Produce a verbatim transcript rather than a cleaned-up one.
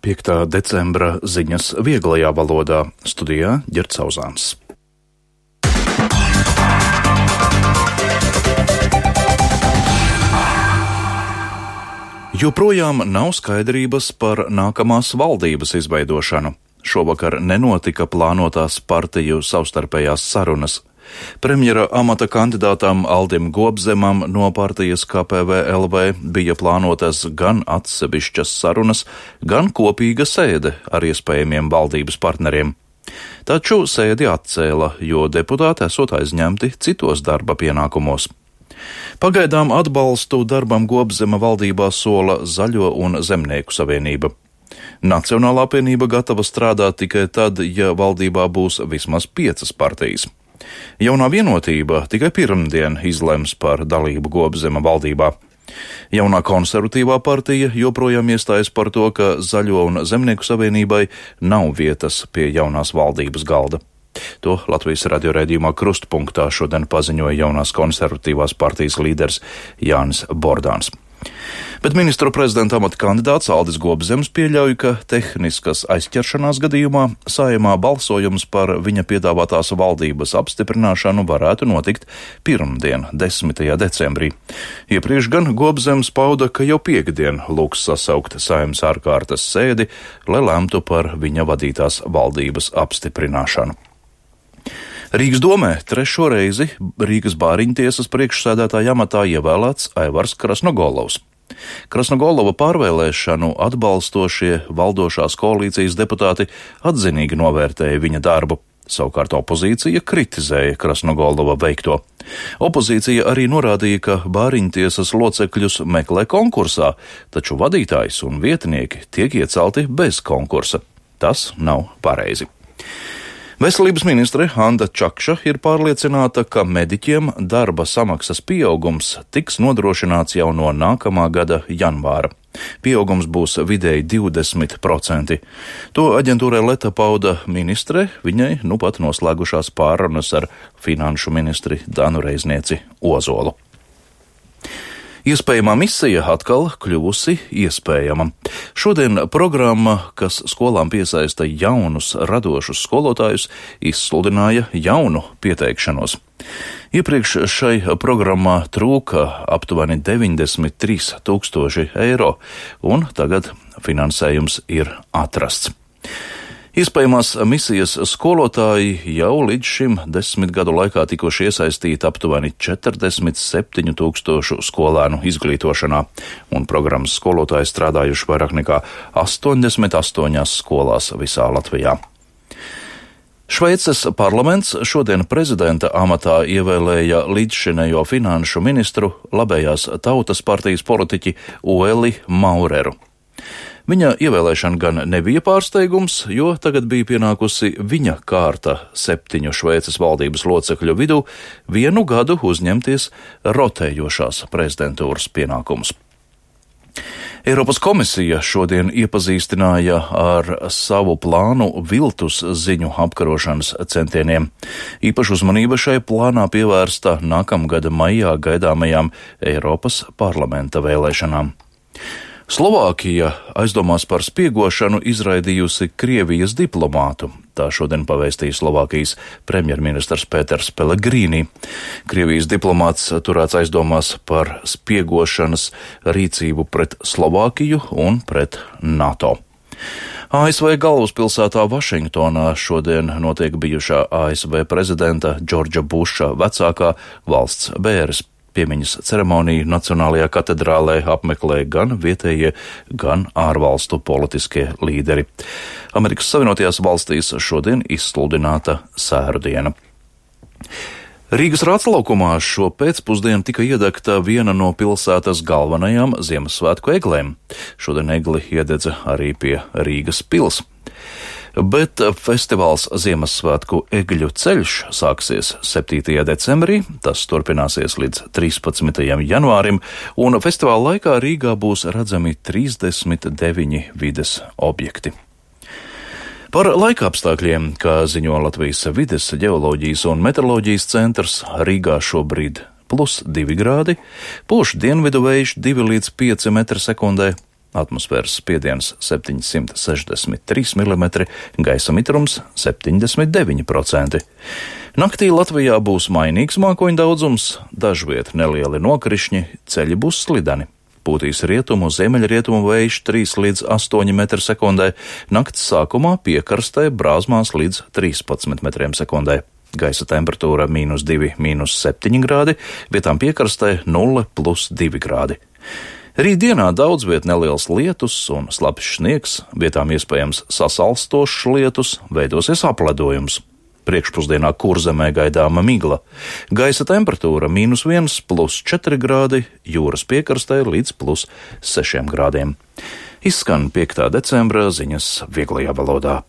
piektā decembra ziņas vieglajā valodā. Studijā Ģerts Auzāns. Joprojām nav skaidrības par nākamās valdības izveidošanu. Šovakar nenotika plānotās partiju savstarpējās sarunas. Premjera amata kandidātam Aldim Gobzemam no partijas K P V L V bija plānotas gan atsevišķas sarunas, gan kopīga sēde ar iespējamiem valdības partneriem. Taču sēdi atcēla, jo deputāti esot aizņemti citos darba pienākumos. Pagaidām atbalstu darbam Gobzema valdībā sola Zaļo un Zemnieku savienība. Nacionālā apvienība gatava strādāt tikai tad, ja valdībā būs vismaz piecas partijas. Jaunā vienotība tikai pirmdien izlems par dalību Gobzema valdībā. Jaunā konservatīvā partija joprojām iestājas par to, ka Zaļo un Zemnieku savienībai nav vietas pie jaunās valdības galda. To Latvijas radio raidījumā Krustpunktā šodien paziņoja jaunās konservatīvās partijas līderis Jānis Bordāns. Bet ministru prezidenta amata kandidāts Aldis Gobzems pieļauj, ka tehniskas aizķeršanās gadījumā Saeimā balsojums par viņa piedāvātās valdības apstiprināšanu varētu notikt pirmdien, desmitajā decembrī. Iepriekš gan Gobzems pauda, ka jau piekdien lūgs sasaukt Saeimas ārkārtas sēdi, lai lemtu par viņa vadītās valdības apstiprināšanu. Rīgas domē trešo reizi Rīgas bāriņtiesas priekšsēdētāja amatā ievēlēts Aivars Krasnogolovs. Krasnogolova pārvēlēšanu atbalstošie valdošās koalīcijas deputāti atzinīgi novērtēja viņa darbu. Savukārt opozīcija kritizēja Krasnogolova veikto. Opozīcija arī norādīja, ka bāriņtiesas locekļus meklē konkursā, taču vadītājs un vietinieki tiek iecelti bez konkursa. Tas nav pareizi. Veselības ministre Anda Čakša ir pārliecināta, ka mediķiem darba samaksas pieaugums tiks nodrošināts jau no nākamā gada janvāra. Pieaugums būs vidēji divdesmit procenti. To aģentūrai Leta pauda ministre, viņai nu pat noslēgušās pārunas ar finanšu ministri Danu Reiznieci Ozolu. Iespējamā misija atkal kļuvusi iespējama. Šodien programma, kas skolām piesaista jaunus, radošus skolotājus, izsludināja jaunu pieteikšanos. Iepriekš šai programmā trūka aptuveni deviņdesmit trīs tūkstoši eiro, un tagad finansējums ir atrasts. Iespējamās misijas skolotāji jau līdz šim desmit gadu laikā tikuši iesaistīti aptuveni četrdesmit septiņu tūkstošu skolēnu izglītošanā, un programmas skolotāji strādājuši vairāk nekā astoņdesmit astoņās skolās visā Latvijā. Šveices parlaments šodien prezidenta amatā ievēlēja līdzšinējo finanšu ministru labējās tautas partijas politiķi Ueli Maureru. Viņa ievēlēšana gan nebija pārsteigums, jo tagad bija pienākusi viņa kārta septiņu Šveices valdības locekļu vidū vienu gadu uzņemties rotējošās prezidentūras pienākumus. Eiropas komisija šodien iepazīstināja ar savu plānu viltus ziņu apkarošanas centieniem. Īpaši uzmanība šai plānā pievērsta nākamgada maijā gaidāmajām Eiropas parlamenta vēlēšanām. Slovākija aizdomās par spiegošanu izraidījusi Krievijas diplomātu. Tā šodien pavēstīja Slovākijas premjerministrs Pēters Pelegrīni. Krievijas diplomāts turēts aizdomās par spiegošanas rīcību pret Slovākiju un pret NATO. A S V galvaspilsētā Vašingtonā šodien notiek bijušā A S V prezidenta Džordža Buša vecākā valsts bēres. Piemiņas ceremoniju Nacionālajā katedrālē apmeklē gan vietējie, gan ārvalstu politiskie līderi. Amerikas Savienotajās valstīs šodien izsludināta sēru diena. Rīgas Rātslaukumā šo pēcpusdienu tika iedegta viena no pilsētas galvenajām Ziemassvētku eglēm. Šodien egli iededza arī pie Rīgas pils. Bet festivāls Ziemassvētku egļu ceļš sāksies septītajā decembrī, tas turpināsies līdz trīspadsmitajam janvārim, un festivāla laikā Rīgā būs redzami trīsdesmit deviņi vides objekti. Par laika apstākļiem, kā ziņo Latvijas vides, ģeoloģijas un meteoroloģijas centrs, Rīgā šobrīd plus divi grādi, pūš dienvidu vējš divi līdz pieci metri sekundē, atmosfēras spiediens septiņsimt sešdesmit trīs milimetri, gaisa mitrums septiņdesmit deviņi procenti. Naktī Latvijā būs mainīgs mākoņu daudzums, dažviet nelieli nokrišņi, ceļi būs slideni. Pūtīs rietumu, ziemeļrietumu vējš trīs līdz astoņi metri sekundē, nakts sākumā piekrastē brāzmās līdz trīspadsmit metriem sekundē. Gaisa temperatūra mīnus divi, mīnus septiņi grādi, vietām piekrastē nulle plus divi grādi. Rītdienā daudz viet neliels lietus un slapjš sniegs, vietām iespējams sasalstošs lietus, veidosies apledojums. Priekšpusdienā Kurzemē gaidāma migla. Gaisa temperatūra mīnus viens plus četri grādi, jūras piekrastē līdz plus sešiem grādiem. Izskan piektā decembra ziņas vieglajā valodā.